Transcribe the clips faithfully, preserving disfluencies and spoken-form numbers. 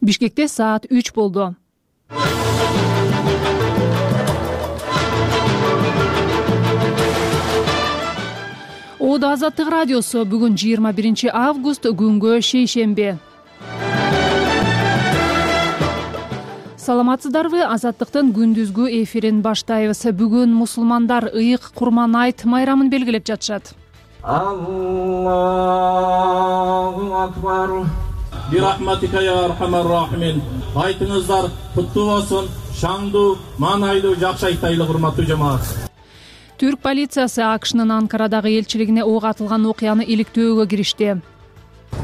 Бишкекте саат үч болду. Оодо Азаттык радиосу бүгүн жыйырма биринчи август күнгө шейшемби. Саламатсыздарбы? Азаттыктын күндүзгү эфирин баштайбыз. Бүгүн мусулмандар ыйык Курман айт майрамын белгилеп жатышат. Аллаху акбар. Бирахматика я архамар рахимин. Айтыңыздар куттуу болсун, шаңдуу, маанайдуу, жакшы айтайлы урматтуу жамаат. Түрк полициясы АКШнын Анкарадагы элчилигине ок атылган окуяны иликтөөгө киришти.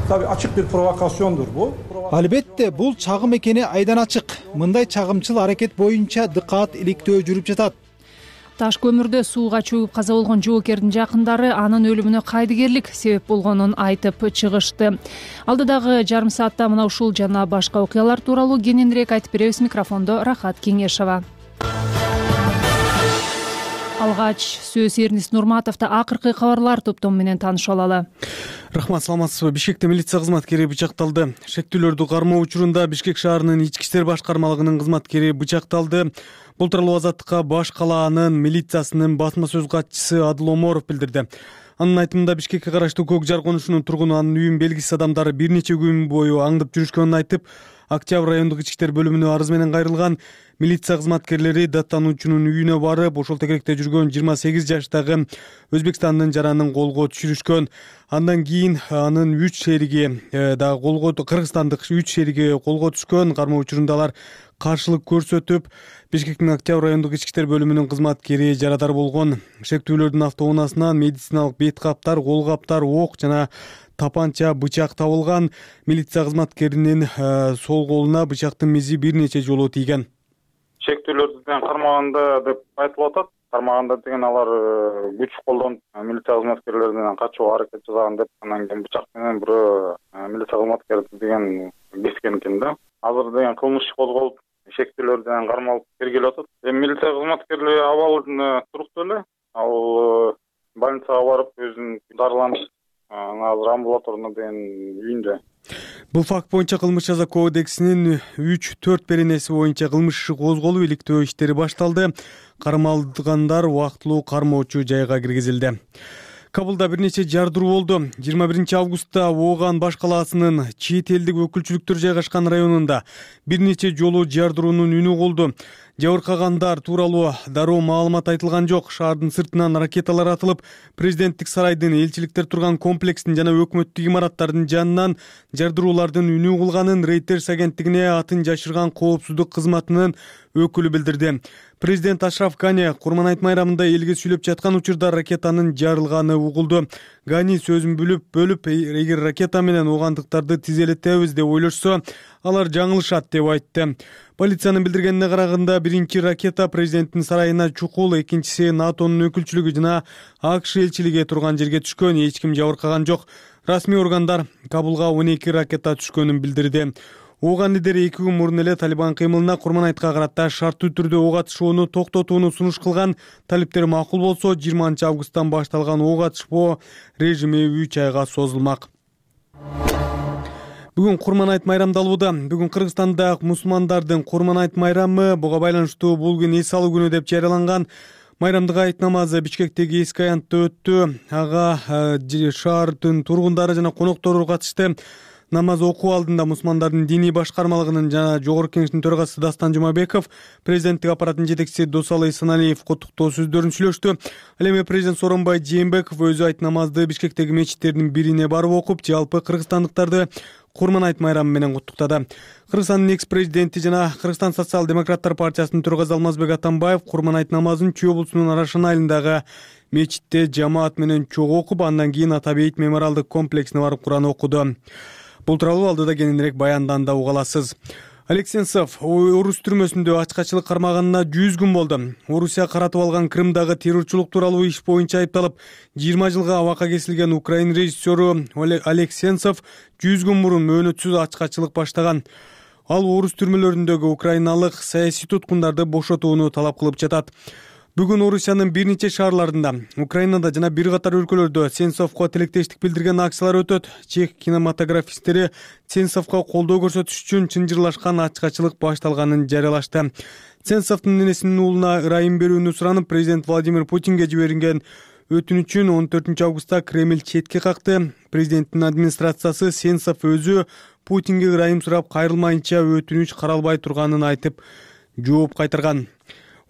Tabii açık bir provokasyondur bu. Албетте, бул чагым экени айдан ачык. Мындай чагымчыл аракет боюнча дыкаат иликтөө жүрүп жатат. Таш көмүрдө сууга чөгүп каза болгон жоокердин жакындары анын өлүмүнө кайдыгерлик себеп болгонун айтып чыгышты. Алдыдагы жарым саатта мына ушул жана башка окуялар тууралуу кененирээк айтып беребиз. Микрофондо Рахат Кеңешова. Алгач сөз Эрнис Нурматовду акыркы кабарлар топтому менен таанышып алалы. Рахмат, саламатсызбы? Бишкекте милиция кызматкери бычакталды. Шектүүлөрдү кармоо учурунда Бишкек шаарынын ички иштер башкармалыгынын кызматкери бычакталды. Бул тууралуу Азаттыкка Баш калаанын милициясынын басма сөз катчысы Адыл Оморов билдирди. Анын айтымында Бишкекке караштуу Көк Жар конушунун тургуну анын үйүн белгисиз адамдар бир нече күн бою аңдып жүрүшкөнүн айтып, Октябрь райондук ички иштер бөлүмүнө арыз менен кайрылган. Милиция кызматкерлери даттануучунун үйүнө барып, ошол тегеректе жүргөн жыйырма сегиз жаштагы Өзбекстандын жаранын колго түшүрүшкөн. Андан кийин анын үч шериги да колго, кыргызстандык үч шериги колго түшкөн. Кармоо учурунда алар каршылык көрсөтүп, Бишкектин Октябрь райондук ички иштер бөлүмүнүн кызматкери жарадар болгон. Шектүүлөрдүн автоунаасынан медициналык бет каптар, кол каптар, ок жана тапанча, бычак табылган. Милиция кызматкеринин сол колуна бычактын мизи бир нече жолу тийген. Шектүүлөрдүн кармаганда деп айтылып атат. Кармаганда деген алар күч колдонуп милиция кызматкерлеринен качууга аракет жасаган деп, анан кийин бычак менен бирөө милиция кызматкери деген кескен экен да. Азыр деген кылмыш иш козголуп, шектүүлөрдөн кармалып тергелип атат. Эми милиция кызматкерлери абалы туруктуу эле. Ал больницага барып өзүн дарыланып, азыр амбулаторно деген үйүндө. Бул факт боюнча кылмыш жаза кодексинин үч төрт беренеси боюнча кылмыш иши козголуп, иликтөө иштери башталды. Кармалгандар убактылуу кармоочу жайга киргизилди. Кабылда бир нече жардыруу болду. жыйырма биринчи августта Ооган баш калаасынын чет элдик өкүлчүлүктөр жайгашкан районунда бир нече жолу жардыруунун үнү болду. Жабыркагандар тууралуу дароо маалымат айтылган жок. Шаардын сыртынан ракеталар атылып, президенттик сарайдын, элчиликтер турган комплекстин жана өкмөттүк имараттардын жанынан жардыруулардын үнү кылганын Reuters агенттигине атын жашырган коопсуздук кызматынын өкүлү билдирди. Президент Ашраф Гани Курман айт майрамында элге сүйлөп жаткан учурда ракетанын жарылганы угулду. Гани сөзүн бүлүп бөлүп, эгер ракета менен оогандыктарды тизелетебиз деп ойлошсо, алар жаңылышат деп айтты. Полициянын билдиргенине караганда, биринчи ракета президенттин сарайына чукул, экинчиси НАТОнун өкүлчүлүгү жана АКШ элчилиги турган жерге түшкөн. Эч ким жабыркаган жок. Расмий органдар Кабулга он эки ракета түшкөнүн билдирди. Ооган лидери эки күн мурун эле Талибан кыймылына Курман айтка карата шарттуу түрдө ок атышууну токтотууну сунуш кылган. Талиптер макул болсо, жыйырманчы августтан башталган ок атышпоо режими үч айга созулмак. Бүгүн Курман айт майрамдалууда. Бүгүн Кыргызстанда мусулмандардын Курман айт майрамы буга байланыштуу бул күн эс алуу күнү деп жарыяланган. Майрамдык айт намазы Бишкектеги эски аянтта өттү. Ага шаардын тургундары жана коноктору катышты. Намаз окуу алдында мусулмандардын диний башкармалыгынын жана жогорку кеңештин төрагасы Дастан Жумабеков, президенттик аппараттын жетекчиси Досалы Саналиев куттуктоо сөздөрүн сүйлөштү. Ал эми президент Сооронбай Жээнбеков өзү айт намазды Бишкектеги мечиттердин бирине барып окуп, жалпы кыргызстандыктарды Курман айт майрамы менен куттуктады. Кыргызстандын экс-президенти жана Кыргызстан социал-демократтар партиясынын төрагасы Алмазбек Атамбаев Курман айт намазын Чүй облусунун Арашан айылындагы мечитте жамаат менен чогуу окуп, андан кийин Атабейит мемориалдык комплексине барып Куран окуду. Бул тууралуу алдыда кененирээк баянданда уга аласыз. Олег Сенцов орус түрмөсүндө ачкачылык кармаганына жүз күн болду. Орусия каратып алган Крымдагы террорчулук тууралуу иш боюнча айыпталып, жыйырма жылга абакка кесилген Украин режиссеру Олег Сенцов жүз күн мурун мөөнөтсүз ачкачылык баштаган. Ал орус түрмөлөрүндөгү украиналык саясий туткундарды бошотууну талап кылып жатат. Бүгүн Орусиянын бир нече шаарларында, Украинада жана бир катар өлкөлөрдө Сенцовго тилектештик билдирген акциялар өтөт. Чех кинематографисттери Сенцовго колдоо көрсөтүш үчүн чынжырлашкан ачкачылык башталганын жарыялашты. Сенцовдун ненесинин уулуна ырайым берүүнү суранып, президент Владимир Путинге жиберилген өтүнүчүн он төртүнчү августта Кремль четке какты. Президенттин администрациясы Сенцов өзү Путинге ырайым сурап кайрылмайынча өтүнүч каралбай турганын айтып, жооп кайтарган.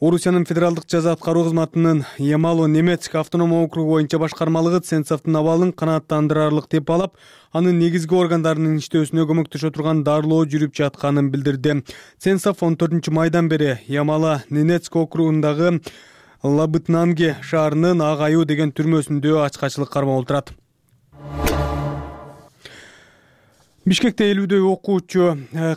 Орусиянын федералдык жаза аткаруу кызматынын Ямало-Ненецк автономдук округу боюнча башкармалыгы Сенцовдун абалын канааттандырарлык деп алып, анын негизги органдарынын иштөөсүнө көмөктөшө турган дарылоо жүрүп жатканын билдирди. Сенцов он төртүнчү майдан бери Ямало-Ненецк округундагы Лабытнанге шаарынын Ак Аюу деген түрмөсүндө ачкачылык кармап отурат. Бишкекте элүүдөй окуучу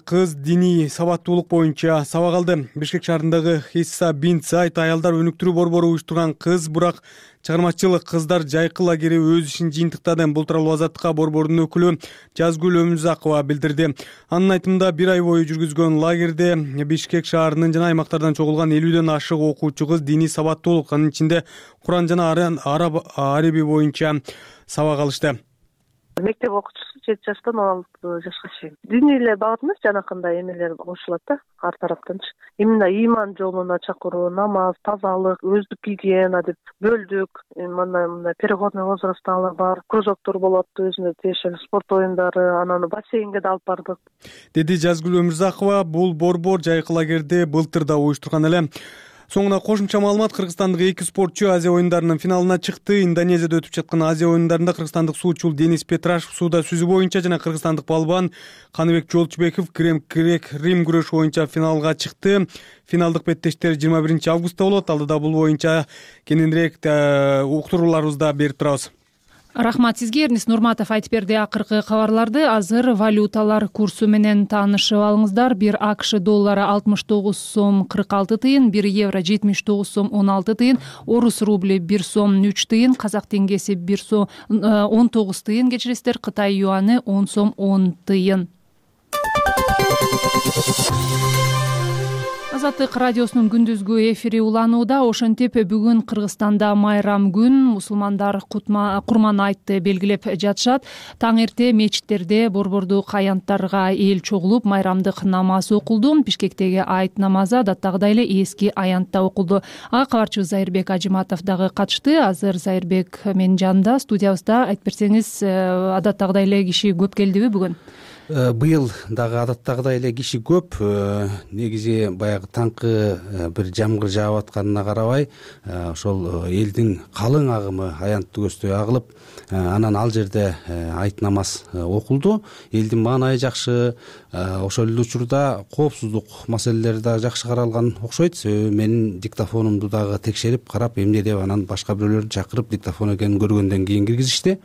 кыз диний сабаттуулук боюнча сабак алды. Бишкек шаарындагы Хисса бин Сайт аялдар өнүктүрүү борбору уюштурган кыз бурак чыгармачыл кыздар жайкы лагери өз ишин жыйынтыктады. Бул тууралуу Азаттыкка борбордун өкүлү Жазгүл Өмүзакова билдирди. Анын айтымында бир ай бою жүргүзгөн лагерде Бишкек шаарынын жана аймактардан чогулган элүүдөн ашык окуучу кыз диний сабаттуулук, анын ичинде Куран жана араб ареби боюнча сабак алышты. Мектеп окуучусу жети жаштан он алты жашка чейин. Диний эле багыт эмес, жанакындай эмелер кошулат да ар тараптанчы. Именно иман жолуна чакыруу, намаз, тазалык, өздүк гигиена деп бөлдүк. Мына мына переходный возрасттагылар бар, кружоктор болот, өзүнө тиешелүү спорт оюндары, анан бассейнге да алып бардык. Деди Жазгүл Өмүрзакова. Бул борбор жайкы лагерде былтыр да уюштурган эле. Соңуна кошумча маалымат: кыргызстандык эки спортчу Азия оюндарынын финалына чыкты. Индонезияда өтүп жаткан Азия оюндарында кыргызстандык суучул Денис Петрашев сууда сүзүү боюнча жана кыргызстандык балбан Каныбек Жолчубеков грек рим күрөшү боюнча финалга чыкты. Финалдык беттештер жыйырма биринчи августта болот. Алдыда бул боюнча кененирээк уктурууларыбызды да берип турабыз. Рахмат сизге, Эрнис Нурматов айтып берди акыркы кабарларды. Азыр валюталар курсу менен таанышып алыңыздар. Бир АКШ доллары алтымыш тогуз сом кырк алты тыйын, бир евро жетимиш тогуз сом он алты тыйын, орус рубли бир сом үч тыйын, казак теңгеси бир сом он тогуз тыйын, кечиресиздер, Кытай юаны он сом он тыйын. Азаттык радиосунун күндүзгү эфири уланууда. Ошентип бүгүн Кыргызстанда майрам күн, мусулмандар Курман айтты белгилеп жатышат. Таң эрте мечиттерде борбордук аянттарга эл чогулуп майрамдык намаз окулду. Бишкектеги айт намазы адаттагыдай эле эски аянтта окулду. Ага кабарчыбыз Зайырбек Ажиматов дагы катышты. Азыр Зайырбек менин жанымда, студиябызда. Айтып берсеңиз, адаттагыдай эле киши көп келдиби бүгүн? Быйыл дагы адаттагыдай эле киши көп. Негизи баягы таңкы бир жамгыр жаап атканына карабай, ошол элдин калың агымы аянтты көздөй агылып, анан ал жерде айт намаз окулду. Элдин маанайы жакшы. Ошол эле учурда коопсуздук маселелери да жакшы каралган окшойт. Менин диктофонумду дагы текшерип карап, эмне деп анан башка бирөөлөрдү чакырып диктофон экенин көргөндөн кийин киргизишти.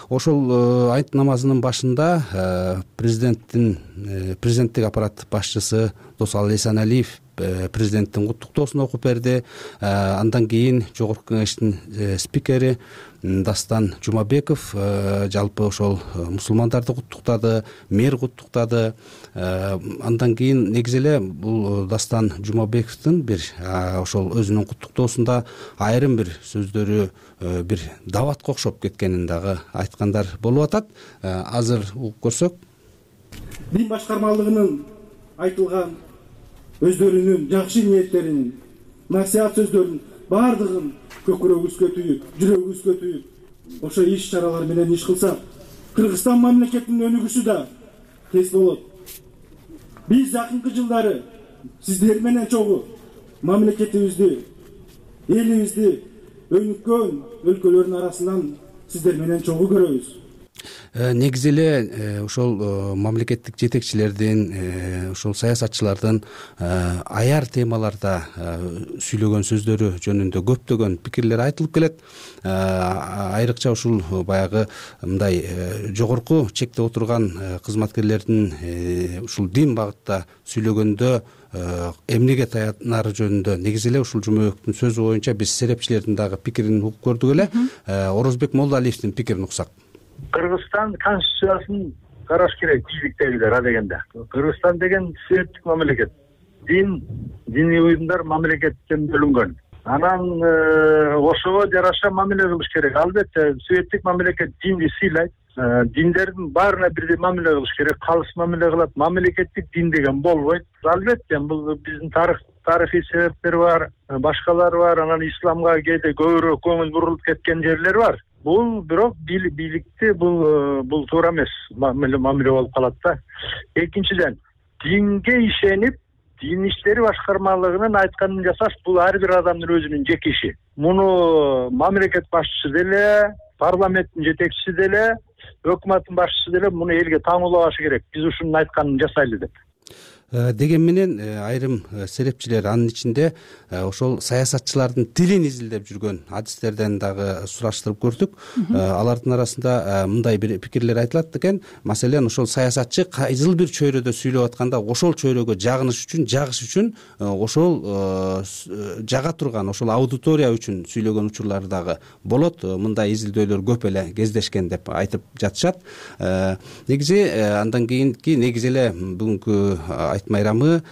Ошол айт намазынын башында президенттин президенттик аппарат башчысы Досалы Эсеналиев президенттин куттуктоосун окуп берди. Андан кийин жогорку кеңештин спикери Дастан Жумабеков жалпы ошол мусулмандарды куттуктады, мэр куттуктады. Андан кийин негизи эле бул Дастан Жумабековдун бир ошол өзүнүн куттуктоосунда айрым бир сөздөрү бир даватка окшоп кеткенин дагы айткандар болуп атат. Азыр угуп көрсөк. Дин башкармалыгынын айтылган өздөрүнүн жакшы ниеттеринин, насаат сөздөрүнүн баардыгын көкүрөгүбүзгө түйүп, жүрөгүбүзгө түйүп, ошо иш чаралар менен иш кылсак, Кыргызстан мамлекетинин өнүгүшү да тез болот. Биз акыркы жылдары сиздер менен чогуу мамлекетибизди, элибизди өнүккөн өлкөлөрдүн арасынан сиздер менен чогуу көрөбүз. Негизи эле ошол мамлекеттик жетекчилердин, ошол саясатчылардын аяр темаларда сүйлөгөн сөздөрү жөнүндө көптөгөн пикирлер айтылып келет. Айрыкча ушул баягы мындай жогорку чекте отурган кызматкерлердин ушул дин багытта сүйлөгөндө эмнеге таянары жөнүндө негизи эле ушул Жумабековдун сөзү боюнча биз серепчилердин дагы пикирин угуп көрдүк эле. Орозбек Молдалиевдин пикирин уксак. Кыргызстан конституциясын караш керек, бийликтегилер а дегенде. Кыргызстан деген сүйөттүк мамлекет. дин диний уюмдар мамлекеттен бөлүнгөн. Анан ошого жараша мамиле кылыш керек. Албетте светтик мамлекет динди сыйлайт. Диндердин баарына бирдей мамиле кылыш керек. Калыс мамиле кылат. Мамлекеттик дин деген болбойт. Албетте бул биздин тарых тарыхый себептер бар, башкалар бар. Анан исламга кээде көбүрөөк көңүл бурулуп кеткен жерлер бар. Бул бирок бийликти бул бул туура эмес мамиле мамиле болуп калат да. Экинчиден, динге ишенип дин иштери башкармалыгынын айтканын жасаш бул ар бир адамдын өзүнүн жеке иши. Муну мамлекет башчысы деле, парламенттин жетекчиси деле, өкмөттүн башчысы деле муну элге таңуулабашы керек. Биз ушунун айтканын жасайлы деп. Деген менен айрым серепчилер анын ичинде ошол саясатчылардын тилин изилдеп жүргөн адистерден дагы сураштырып көрдүк. Алардын арасында мындай бир пикирлер айтылат экен. Маселен, ошол саясатчы кайсыл бир чөйрөдө сүйлөп атканда ошол чөйрөгө жагыныш үчүн, жагыш үчүн ошол жага турган ошол аудитория үчүн сүйлөгөн учурлары дагы болот. Мындай изилдөөлөр көп эле кездешкен деп айтып жатышат. Негизи андан кийинки негизи эле бүгүнкү майрамына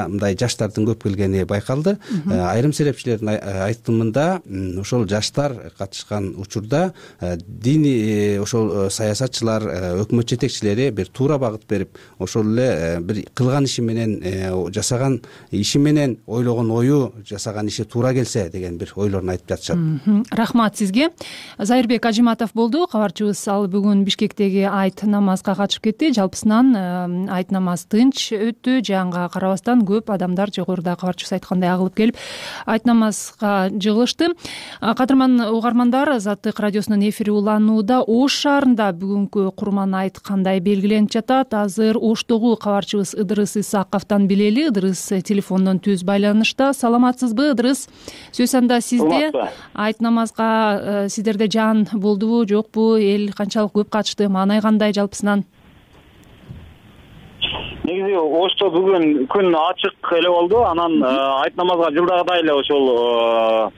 мындай жаштардын көп келгени байкалды. Айрым серепчилердин айтымында ошол жаштар катышкан учурда дини ошол саясатчылар, өкмөт жетекчилери бир туура багыт берип, ошол эле бир кылган иши менен, жасаган иши менен, ойлогон ою, жасаган иши туура келсе деген бир ойлорун айтып жатышат. Рахмат сизге. Зайырбек Ажиматов болду кабарчыбыз. Ал бүгүн Бишкектеги айт намазга катышып кетти. Жалпысынан айт намаз тынч өттү. Жанга карабастан көп адамдар жогоруда кабарчыбыз айткандай агылып келип айт намазга жыгылышты. Кадырман угармандар, Азаттык радиосунун эфири уланууда. Ош шаарында бүгүнкү Курман айт кандай белгиленип жатат? Азыр Оштогу кабарчыбыз Ыдырыс Исаковдон билели. Ыдырыс телефондон түз байланышта. Саламатсызбы, Ыдырыс? Сөз анда сизде. Айт намазга сиздерде жан болдубу, жокпу? Эл канчалык көп катышты? Маанай кандай жалпысынан? Негизи Ошто бүгүн күн ачык эле болду. Анан айт намазга жылдагыдай эле ошол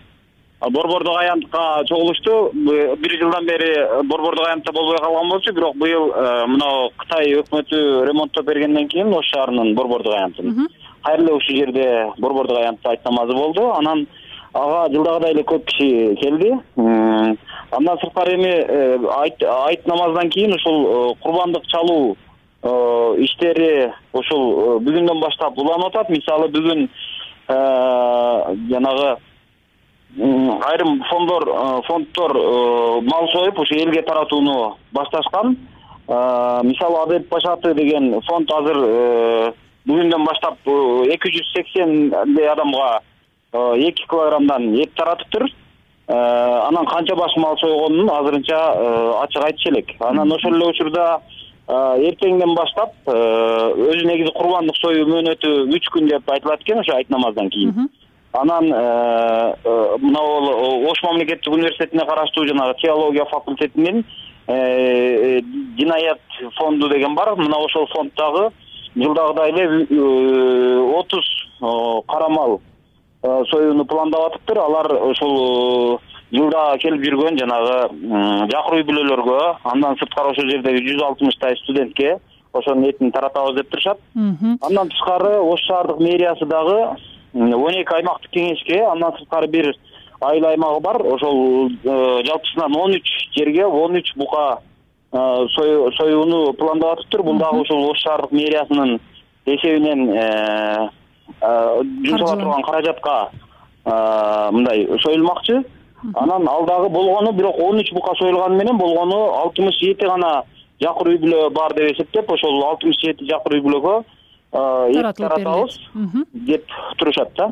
борбордук аянтка чогулушту. Бир жылдан бери борбордук аянтта болбой калган болчу, бирок быйыл мына Кытай өкмөтү ремонттоп бергенден кийин Ош шаарынын борбордук аянтын кайрылуу ушул жерде борбордук аянтта айт намазы болду. Анан ага жылдагыдай эле көп киши келди. Андан сырткары эми айт намаздан кийин ушул курбандык чалуу иштери ошол бүгүндөн баштап уланып атат. Мисалы бүгүн жанагы айрым фонддор фонддор мал союп ушу элге таратууну башташкан. Мисалы Адеп Башаты деген фонд азыр бүгүндөн баштап эки жүз сексендей адамга эки килограммдан эт таратыптыр. Анан канча баш мал сойгонун азырынча ачык айтыш элек. Анан ошол эле учурда эртеңден баштап өзү негизи курбандык союу мөөнөтү үч күн деп айтылат экен ошо айт намаздан кийин. Анан мына Ош мамлекеттик университетине караштуу жанагы теология факультетинин Динаят фонду деген бар. Мына ошол фонддагы жылдагыдай эле отуз карамал союуну пландап атыптыр. Алар ошол жылда келип жүргөн жанагы жакыр үй бүлөлөргө, андан сырткары ошол жердеги жүз алтымыштай студентке ошонун этин таратабыз деп турушат. Андан тышкары Ош шаардык мэриясы дагы он эки аймактык кеңешке, андан сырткары бир айыл аймагы бар. Ошол жалпысынан он үч жерге он үч бука союуну пландап атыптыр. Бул дагы ошол Ош шаардык мэриясынын эсебинен жумшала турган каражатка мындай союлмакчы. Анан ал дагы болгону бирок он үч бука союлганы менен болгону алтымыш жети гана жакыр үй бүлө бар деп эсептеп, ошол алтымыш жети жакыр үй бүлөгө эт таратабыз деп турушат да.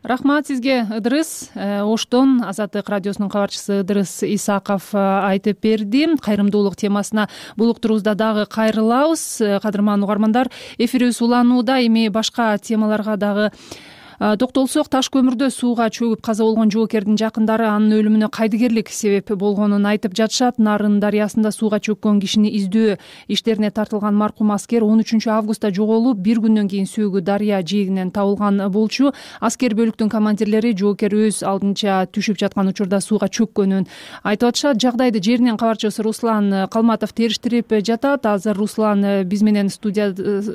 Рахмат сизге, Ыдырыс. Оштон Азаттык радиосунун кабарчысы Ыдырыс Исаков айтып берди. Кайрымдуулук темасына бул уктуруубузда дагы кайрылабыз. Кадырман угармандар, эфирибиз уланууда. Эми башка темаларга дагы Токтолсок, таш көмүрдө сууга чөгүп каза болгон жоокердин жакындары анын өлүмүнө кайдыгерлик себеп болгонун айтып жатышат. Нарын дарыясында сууга чөккөн кишини издөө иштерине тартылган маркум аскер он үчүнчү августта жоголуп, бир күндөн кийин сөөгү дарыя жээгинен табылган болчу. Аскер бөлүктүн командирлери жоокер өз алдынча түшүп жаткан учурда сууга чөккөнүн айтып атышат. Жагдайды жеринен кабарчыбыз Руслан Калматов териштирип жатат. Азыр Руслан биз менен студия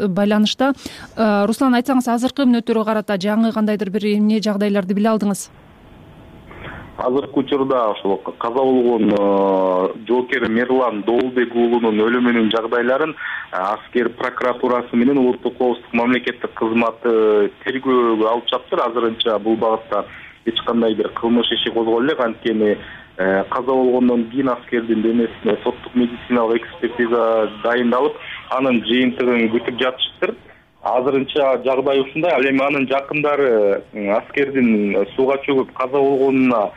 байланышта. Руслан, айтсаңыз, азыркы мүнөттөргө карата жаңы кандайдыр бир эмне жагдайларды биле алдыңыз? Азыркы учурда ошол каза болгон жоокер Мерлан Доолбек уулунун өлүмүнүн жагдайларын аскер прокуратурасы менен улуттук коопсуздук мамлекеттик кызматы тергөөгө алып чаптыр. Азырынча бул багытта эч кандай бир кылмыш иши козголо элек. Анткени каза болгондон кийин аскердин денесине соттук медициналык экспертиза дайындалып, анын жыйынтыгын күтүп жатышыптыр. Азырынча жагдай ушундай. Ал эми анын жакындары аскердин сууга чөгүп каза болгонуна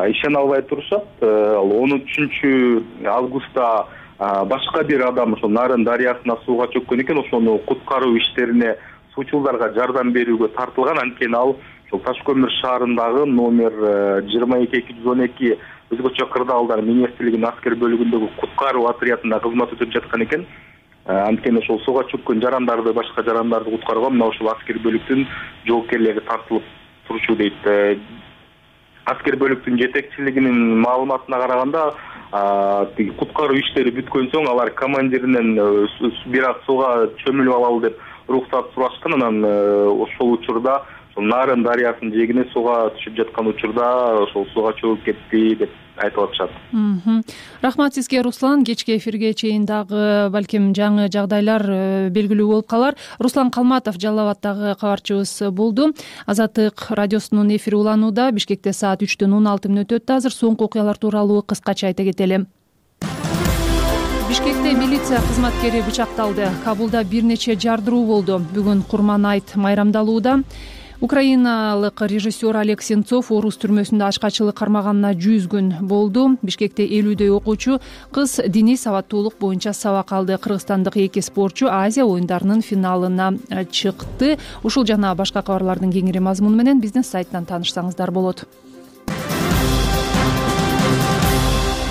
ишене албай турушат. он үчүнчү августта башка бир адам ошол Нарын дарыясына сууга чөккөн экен. Ошону куткаруу иштерине суучулдарга жардам берүүгө тартылган. Анткени ал ошол Ташкөмүр шаарындагы номер жыйырма эки эки жүз он эки өзгөчө кырдаалдар министрлигинин аскер бөлүгүндөгү куткаруу отрядында кызмат өтөп жаткан экен. Анткени ошол сууга чөккөн жарандарды, башка жарандарды куткарууга мына ошол аскер бөлүктүн жоокерлери тартылып турчу дейт. Аскер бөлүктүн жетекчилигинин маалыматына караганда, куткаруу иштери бүткөн соң алар командиринен бир аз сууга чөмүлүп алалы деп уруксат сурашкан. Анан ошол учурда Нарын дарыясынын жээгине сууга түшүп жаткан учурда ошол сууга чөгүп кетти деп айтып атышат. Рахмат сизге, Руслан. Кечки эфирге чейин дагы балким жаңы жагдайлар белгилүү болуп калар. Руслан Калматов Жалал Абаддагы кабарчыбыз болду. Азаттык радиосунун эфири уланууда. Бишкекте саат үчтөн он алты мүнөт өттү. Азыр соңку окуялар тууралуу кыскача айта кетели. Бишкекте милиция кызматкери бычакталды. Кабулда бир нече жардыруу болду. Бүгүн Курман айт майрамдалууда. Украиналык режиссер Олег Сенцов орус түрмөсүндө ачкачылык кармаганына жүз күн болду. Бишкекте элүүдөй окуучу кыз диний сабаттуулук боюнча сабак алды. Кыргызстандык эки спортчу Азия оюндарынын финалына чыкты. Ушул жана башка кабарлардын кеңири мазмуну менен биздин сайттан таанышсаңыздар болот.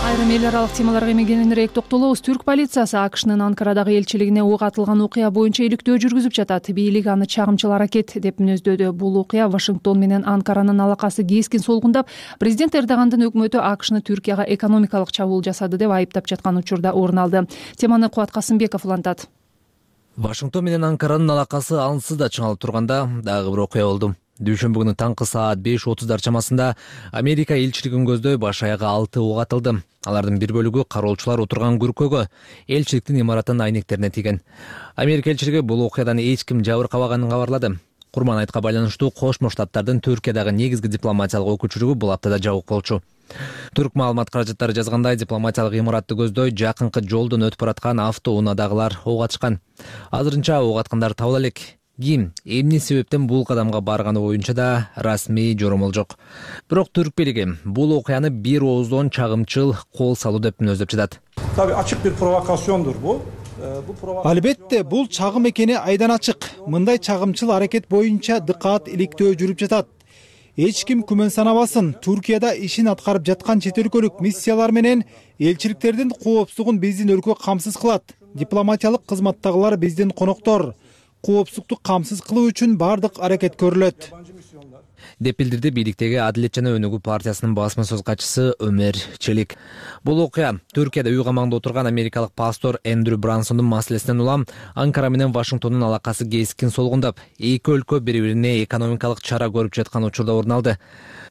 Айрым эл аралык темаларга эми кененирээк токтолобуз. Түрк полициясы АКШнын Анкарадагы элчилигине ок атылган окуя боюнча иликтөө жүргүзүп жатат. Бийлик аны чагымчыл аракет деп мүнөздөдү. Бул окуя Вашингтон менен Анкаранын алакасы кескин солгундап, президент Эрдогандын өкмөтү АКШны Түркияга экономикалык чабуул жасады деп айыптап жаткан учурда орун алды. Теманы Кубат Касымбеков улантат. Вашингтон менен Анкаранын алакасы ансыз да чыңалып турганда дагы бир окуя болду. Дүйшөмбү күнү таңкы саат беш отуздар чамасында Америка элчилигин көздөй баш аягы алты ок атылды. Алардын бир бөлүгү кароолчулар отурган күркөгө, элчиликтин имаратынын айнектерине тийген. Америка элчилиги бул окуядан эч ким жабыркабаганын кабарлады. Курман айтка байланыштуу Кошмо Штаттардын Түркиядагы негизги дипломатиялык өкүлчүлүгү бул аптада жабык болчу. Түрк маалымат каражаттары жазгандай, дипломатиялык имаратты көздөй жакынкы жолдон өтүп бараткан автоунаадагылар ок атышкан. Азырынча ок аткандар табыла элек. Ким, эмне себептен бул кадамга барганы боюнча да расмий жоромол жок. Бирок түрк бийлиги бул окуяны бир ооздон чагымчыл кол салуу деп мүнөздөп жатат. Tabii açık bir provokasyondur bu. Албетте, бул чагым экени айдан ачык. Мындай чагымчыл аракет боюнча дыкаат иликтөө жүрүп жатат. Эч ким күмөн санабасын. Түркияда ишин аткарып жаткан чет өлкөлүк миссиялар менен элчиликтердин коопсуздугун биздин өлкө камсыз кылат. Дипломатиялык кызматтагылар биздин коноктор. Коопсуздукту камсыз кылуу үчүн бардык аракет көрүлөт деп билдирди бийликтеги Адилет жана Өнүгүү партиясынын басма сөз катчысы Өмер Челик. Бул окуя Түркияда үй камагында отурган америкалык пастор Эндрю Брансондун маселесинен улам Анкара менен Вашингтондун алакасы кескин солгундап, эки өлкө бири-бирине экономикалык чара көрүп жаткан учурда орун алды.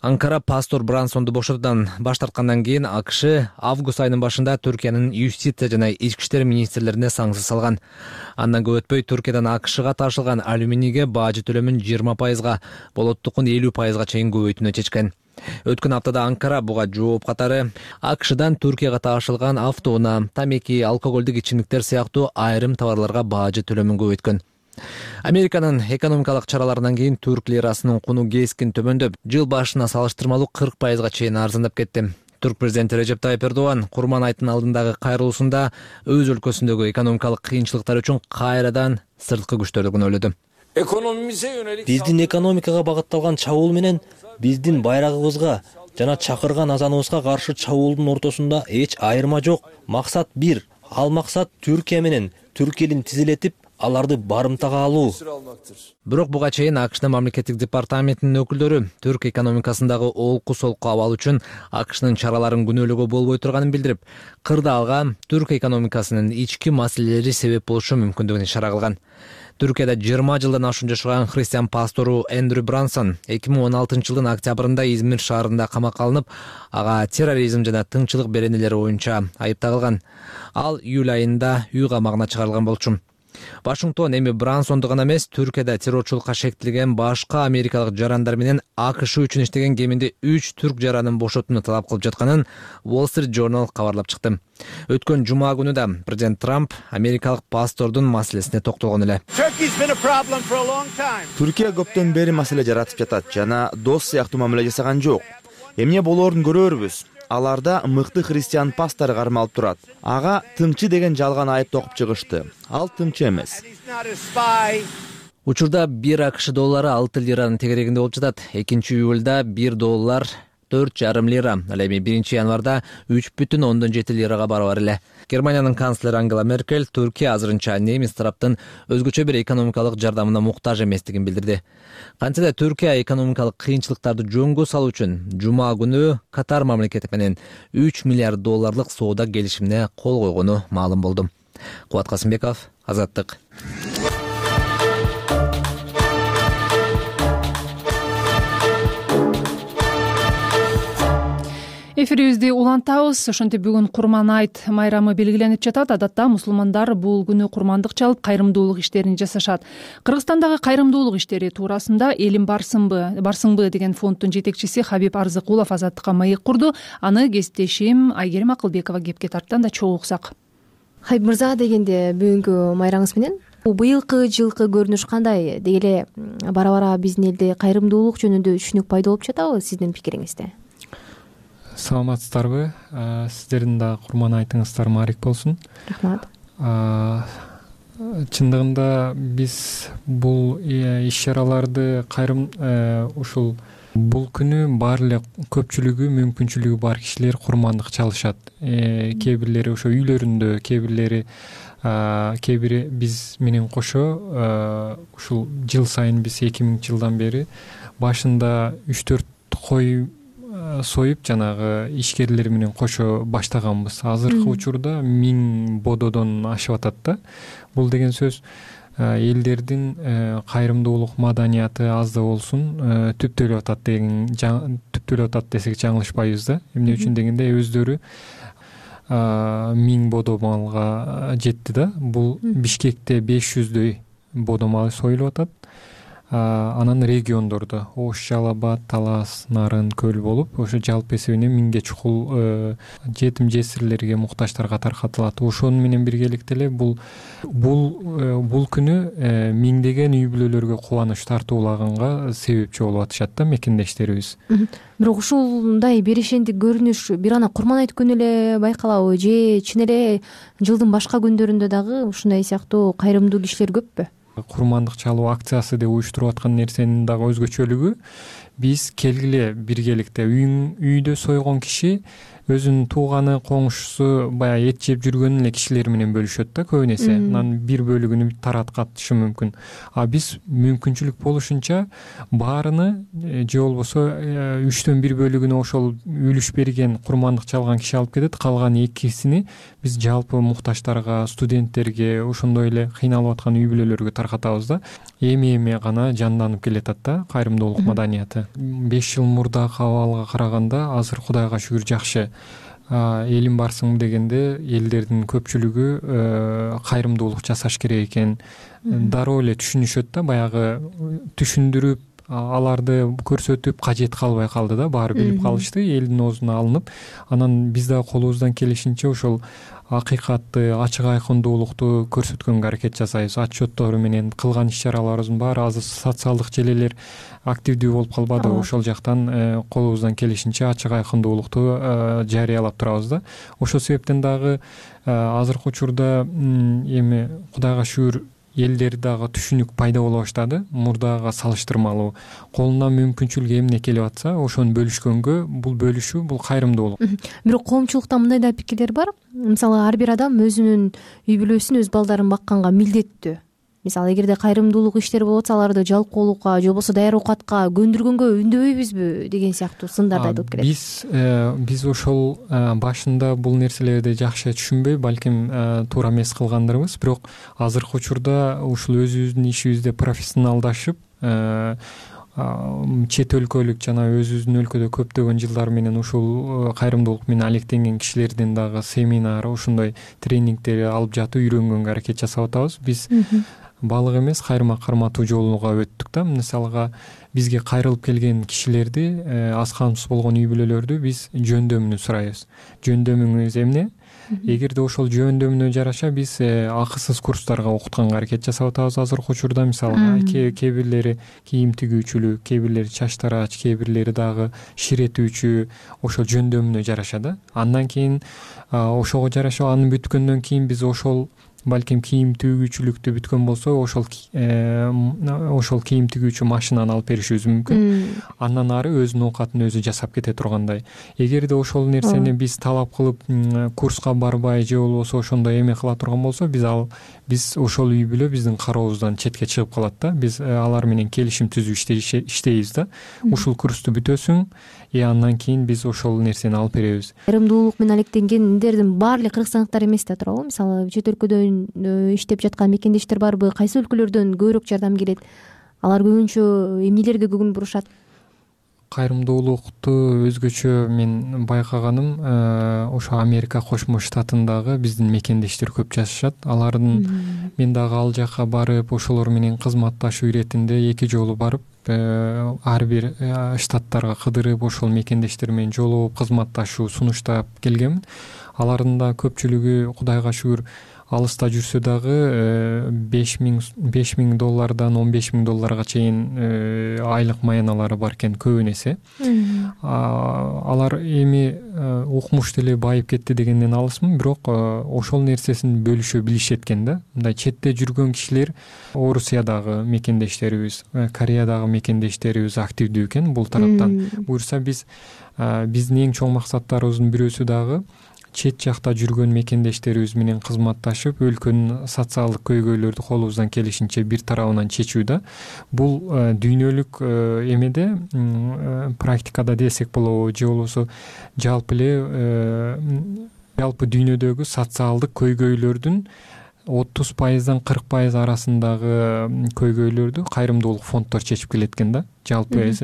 Анкара пастор Брансонду бошотуудан баш тарткандан кийин АКШ август айынын башында Түркиянын юстиция жана ички иштер министрлерине санкция салган. Андан көп өтпөй Түркиядан АКШга ташылган алюминийге бажы төлөмүн жыйырма пайызга, болоттукун элүү пайызга чейин көбөйтүүнү чечкен. Өткөн аптада Анкара буга жооп катары АКШдан Түркияга ташылган автоунаа, тамеки, алкоголдук ичимдиктер сыяктуу айрым товарларга бажы төлөмүн көбөйткөн. Американын экономикалык чараларынан кийин түрк лирасынын куну кескин төмөндөп, жыл башына салыштырмалуу кырк пайызга чейин арзандап кетти. Түрк президенти Режеп Тайып Эрдоган Курман айтын алдындагы кайрылуусунда өз өлкөсүндөгү экономикалык кыйынчылыктар үчүн кайрадан сырткы күчтөрдү күнөөлөдү. биздин экономикага багытталган чабуул менен биздин байрагыбызга жана чакырган азаныбызга каршы чабуулдун ортосунда эч айырма жок. Максат бир. Ал максат Түркия менен түрк элин тизилетип, аларды барымтага алуу. Бирок буга чейин АКШнын мамлекеттик департаментинин өкүлдөрү түрк экономикасындагы олку солку абал үчүн АКШнын чараларын күнөөлөөгө болбой турганын билдирип, кырда алга түрк экономикасынын ички маселелери себеп болушу мүмкүндүгүн ишара кылган. Түркияда жыйырма жылдан ашуун жашаган христиан пастору Эндрю Брансон эки миң он алтынчы жылдын октябрында Измир шаарында камакка алынып, ага терроризм жана тынччылык беренелери боюнча айыпталган. Ал июль айында үй камагына чыгарылган болчу. Вашингтон эми Брансонду гана эмес, Түркияда террорчулукка шектелген башка америкалык жарандар менен АКШ үчүн иштеген кеминде үч түрк жаранын бошотууну талап кылып жатканын Wall Street Journal кабарлап чыкты. Өткөн жума күнү да президент Трамп америкалык пастордун маселесине токтолгон эле. Түркия көптөн бери маселе жаратып жатат жана дос сыяктуу мамиле жасаган жок. Эмне болоорун көрөрбүз. Аларда мыкты христиан пастор кармалып турат. Ага тымчы деген жалган айып токуп чыгышты. Ал тымчы эмес. Учурда бир АКШ доллары алты лиранын тегерегинде болуп жатат. экинчи июлда бир доллар төрт жарым лира, ал эми биринчи январда үч бүтүн ондон жети лирага барабар эле. Германиянын канцлери Ангела Меркель Түркия азырынча немис тараптын өзгөчө бир экономикалык жардамына муктаж эместигин билдирди. Кантсе да Түркия экономикалык кыйынчылыктарды жөнгө салуу үчүн жума күнү Катар мамлекети менен үч миллиард долларлык соода келишимине кол койгону маалым болду. Кубат Касымбеков, Азаттык. Эфирибизди улантабыз. Ошентип бүгүн Курман айт майрамы белгиленип жатат. Адатта мусулмандар бул күнү курмандык чалып, кайрымдуулук иштерин жасашат. Кыргызстандагы кайрымдуулук иштери туурасында Элим барсыңбы, барсыңбы деген фонддун жетекчиси Хабиб Арзыкулов Азаттыкка маек курду. Аны кесиптешим Айгерим Акылбекова кепке тарттан да чогуу уксак. Хабиб мырза, дегенде бүгүнкү майрамыңыз менен быйылкы жылкы көрүнүш кандай? Деги эле бара-бара биздин элде кайрымдуулук жөнүндө түшүнүк пайда болуп жатабы сиздин пикириңизде? Саламатсыздарбы? Сиздердин да курман айтыңыздар маарик болсун. Рахмат. Чындыгында биз бул иш-чараларды кайрым ушул бул күнү баары эле көпчүлүгү, мүмкүнчүлүгү бар кишилер курмандык чалышат. Кээ бирлери ошо үйлөрүндө, кээ бирлери кээ бири биз менен кошо ушул жыл сайын биз эки миңинчи жылдан бери башында үч төрт кой союп жанагы ишкерлер менен кошо баштаганбыз. Азыркы учурда миң бододон ашып атат да. Бул деген сөз элдердин кайрымдуулук маданияты аз да болсун түптөлүп атат деген, түптөлүп атат десек жаңылышпайбыз да. Эмне үчүн дегенде өздөрү миң бодо малга жетти да. Бул Бишкекте беш жүздөй бодо мал союлуп атат. Анан региондордо Ош, Жалал Абад, Талас, Нарын, Көл болуп, ошо жалпы эсебинен миңге чукул жетим жесирлерге, муктаждарга таркатылат. Ошону менен биргеликте эле бул бул бул күнү миңдеген үй бүлөлөргө кубаныч тартуулаганга себепчи болуп атышат да мекендештерибиз. Бирок ушундай берешендик көрүнүш бир ана Курман айт күнү эле байкалабы же чын эле жылдын башка күндөрүндө дагы ушундай сыяктуу кайрымдуу кишилер көппү? Курмандык чалуу акциясы деп уюштуруп аткан нерсенин дагы өзгөчөлүгү биз келгиле биргеликте үйдө сойгон киши өзүнүн тууганы, коңшусу баягы эт жеп жүргөн эле кишилер менен бөлүшөт да көбүн эсе. Анан бир бөлүгүнү тараткатышы мүмкүн. А биз мүмкүнчүлүк болушунча баарыны же болбосо үчтөн бир бөлүгүнө ошол үлүш берген курмандык чалган киши алып кетет. Калган экисини биз жалпы муктаждарга, студенттерге, ошондой эле кыйналып аткан үй бүлөлөргө таркатабыз да. Эми-эми гана жанданып келатат да кайрымдуулук маданияты. беш жыл мурдакы абалга караганда азыр Кудайга шүгүр жакшы. Элим барсың дегенде элдердин көпчүлүгү кайрымдуулук жасаш керек экен. Дароо эле түшүнүшөт да, баягы түшүндүрүп аларды көрсөтүп кажет калбай калды да, баары билип калышты, элдин оозуна алынып. Анан биз дагы колубуздан келишинче ошол акыйкатты, ачык айкындуулукту көрсөткөнгө аракет жасайбыз. Отчеттору менен кылган иш-чараларыбыздын баары азыр социалдык желелер активдүү болуп калбады. Ошол жактан колубуздан келишинче ачык айкындуулукту жарыялап турабыз да. Ошол себептен дагы азыркы учурда эми Кудайга шүгүр элдер дагы түшүнүк пайда боло баштады. Мурдага салыштырмалуу колунан мүмкүнчүлүк эмне келип атса ошону бөлүшкөнгө бул бөлүшүү бул кайрымдуулук. Бирок коомчулукта мындай да пикирлер бар. Мисалы ар бир адам өзүнүн үй бүлөсүн, өз балдарын бакканга милдеттүү. Мисалы эгерде кайрымдуулук иштери болуп атса аларды жалкоолукка же болбосо даяр оокатка көндүргөнгө үндөбөйбүзбү деген сыяктуу сындар да айтылып келет. Биз биз ошол башында бул нерселерди жакшы түшүнбөй, балким туура эмес кылгандырбыз. Бирок азыркы учурда ушул өзүбүздүн ишибизде профессионалдашып, чет өлкөлүк жана өзүбүздүн өлкөдө көптөгөн жылдар менен ушул кайрымдуулук менен алектенген кишилердин дагы семинар, ошондой тренингдер алып жатып үйрөнгөнгө аракет жасап атабыз. Биз балык эмес, кайрыма карматуу жолуга өттүк да. Мисалга бизге кайрылып келген кишилерди, аз камсыз болгон үй бүлөлөрдү биз жөндөмүнү сурайбыз. Жөндөмүңүз эмне? Эгерде ошол жөндөмүнө жараша биз акысыз курстарга окутканга аракет жасап атабыз азыркы учурда. Мисалга кээ бирлери кийим тигүүчүлүк, кээ бирлери чач тарач, кээ бирлери дагы ширетүүчү, ошол жөндөмүнө жараша да. Андан кийин ошого жараша аны бүткөндөн кийин биз ошол балким кийим тигүүчүлүктү бүткөн болсо ошол ошол кийим тигүүчү машинаны алып беришибиз мүмкүн. Андан ары өзүнүн оокатын өзү жасап кете тургандай. Эгерде ошол нерсени биз талап кылып курска барбай же болбосо ошондой эме кыла турган болсо биз ал биз ошол үй бүлө биздин карообуздан четке чыгып калат да. Биз алар менен келишим түзүп иштейбиз да. Ушул курсту бүтөсүң, и андан кийин биз ошол нерсени алып беребиз. Кайрымдуулук менен алектенгендердин баары эле кыргызстандыктар эмес да туурабы? Мисалы чет өлкөдөн иштеп жаткан мекендештер барбы? Кайсы өлкөлөрдөн көбүрөөк жардам келет? Алар көбүнчө эмнелерге көңүл бурушат? Кайрымдуулукту өзгөчө мен байкаганым ошо Америка Кошмо Штатындагы биздин мекендештер көп жашашат. Алардын мен дагы ал жака барып ошолор менен кызматташуу иретинде эки жолу барып, ар бир штаттарга кыдырып, ошол мекендештер менен жолугуп кызматташуу, сунуштап келгенмин. Алардын да көпчүлүгү Кудайга шүгүр алыста жүрсө дагы беш миң доллардан он беш миң долларга чейин айлык маяналары бар экен, көбүн эсе. Алар эми укмуш деле байып кетти дегенден алысмын, бирок ошол нерсесин бөлүшө билишет экен да. Мындай четте жүргөн кишилер, Орусиядагы мекендештерибиз, Кореядагы мекендештерибиз активдүү экен бул тараптан. Буюрса биз биздин эң чоң максаттарыбыздын бирөөсү дагы чет жакта жүргөн мекендештерибиз менен кызматташып, өлкөнүн социалдык көйгөйлөрдү колубуздан келишинче бир тарабынан чечүү да. Бул дүйнөлүк эмеде, практикада десек болобу, же болбосо жалпы эле жалпы дүйнөдөгү социалдык көйгөйлөрдүн отуз пайыздан кырк пайыз арасындагы көйгөйлөрдү кайрымдуулук фонддор чечип келет экен да. Жалпы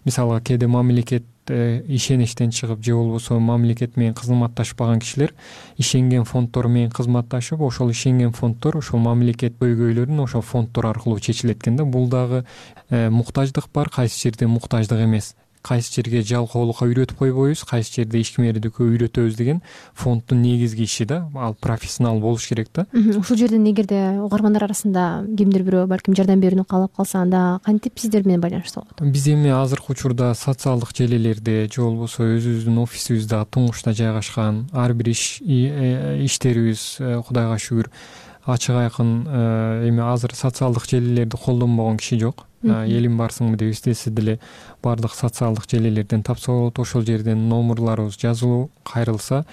мисалга кээде мамлекет ишеничтен чыгып же болбосо мамлекет менен кызматташпаган кишилер ишенген фонддор менен кызматташып, ошол ишенген фонддор ошол мамлекет көйгөйлөрүн ошол фонддор аркылуу чечилет экен да. Бул дагы муктаждык бар, кайсы жерде муктаждык эмес. Кайсы жерге жалкоолукка үйрөтүп койбойбуз, кайсы жерде ишкердикке үйрөтөбүз деген фонддун негизги иши да. Ал профессионал болуш керек да. Ушул жерден эгерде угармандар арасында кимдир бирөө балким жардам берүүнү каалап калса, анда кантип сиздер менен байланышта болот? Биз эми азыркы учурда социалдык желилерде же болбосо өзүбүздүн офисибизде туңгучта жайгашкан ар бир иш иштерибиз Кудайга шүгүр ачык айкын. Эми азыр социалдык желилерди колдонбогон киши жок. Элим барсыңбы деп истесе деле баардык социалдык желилерден тапса болот. Ошол жерден номерларыбыз жазылуу, кайрылса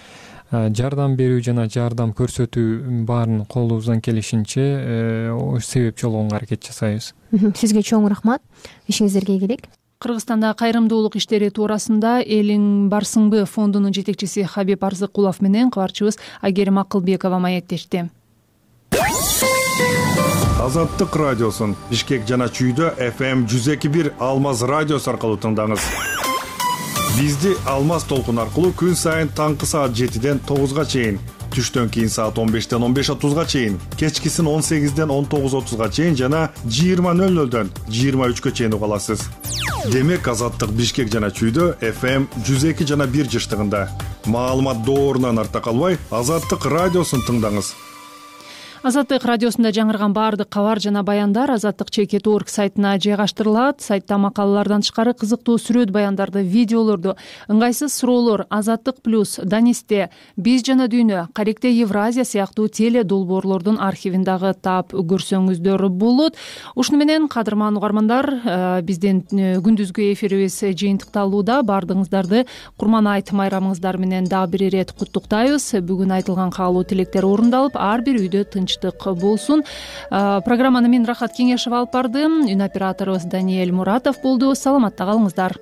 жардам берүү жана жардам көрсөтүү баарын колубуздан келишинче себеп жолгонго аракет жасайбыз. Сизге чоң рахмат. Ишиңиздерге ийгилик. Кыргызстанда кайрымдуулук иштери туурасында Элиң барсыңбы фондунун жетекчиси Хабиб Арзыкулов менен кабарчыбыз Айгерим Акылбекова маектешти. Азаттык радиосун Бишкек жана Чүйдө эф эм жүз эки бир Алмаз радиосу аркылуу тыңдаңыз. Бизди Алмаз толкун аркылуу күн сайын таңкы саат жетиден тогузга чейин, түштөн кийин саат он бештен он беш отузга чейин, кечкисин он сегизден он тогуз отузга чейин жана жыйырма нөл нөлдөн жыйырма үчкө чейин уга аласыз. Демек Азаттык Бишкек жана Чүйдө эф эм жүз эки жана бир жыштыгында. Маалымат доорунан арта калбай, Азаттык радиосун тыңдаңыз. Азаттык радиосунда жаңырган баардык кабар жана баяндар азаттык чекит точка орг сайтына жайгаштырылат. Сайтта макалалардан тышкары кызыктуу сүрөт баяндарды, видеолорду, ыңгайсыз суроолор, Азаттык плюс, Данисте, Биз жана дүйнө, Каректе Евразия сыяктуу теле долбоорлордун архивин дагы таап көрсөңүздөр болот. Ушуну менен кадырман угармандар, биздин күндүзгү эфирибиз жыйынтыкталууда. Баардыгыңыздарды Курман айт майрамыңыздар менен дагы бир ирет куттуктайбыз. Бүгүн айтылган каалоо тилектер орундалып, ар бир үйдө тынч болсун. Программаны мен Рахат Кеңешева алып бардым. Үн операторубуз Даниэль Муратов болду. Саламатта калыңыздар.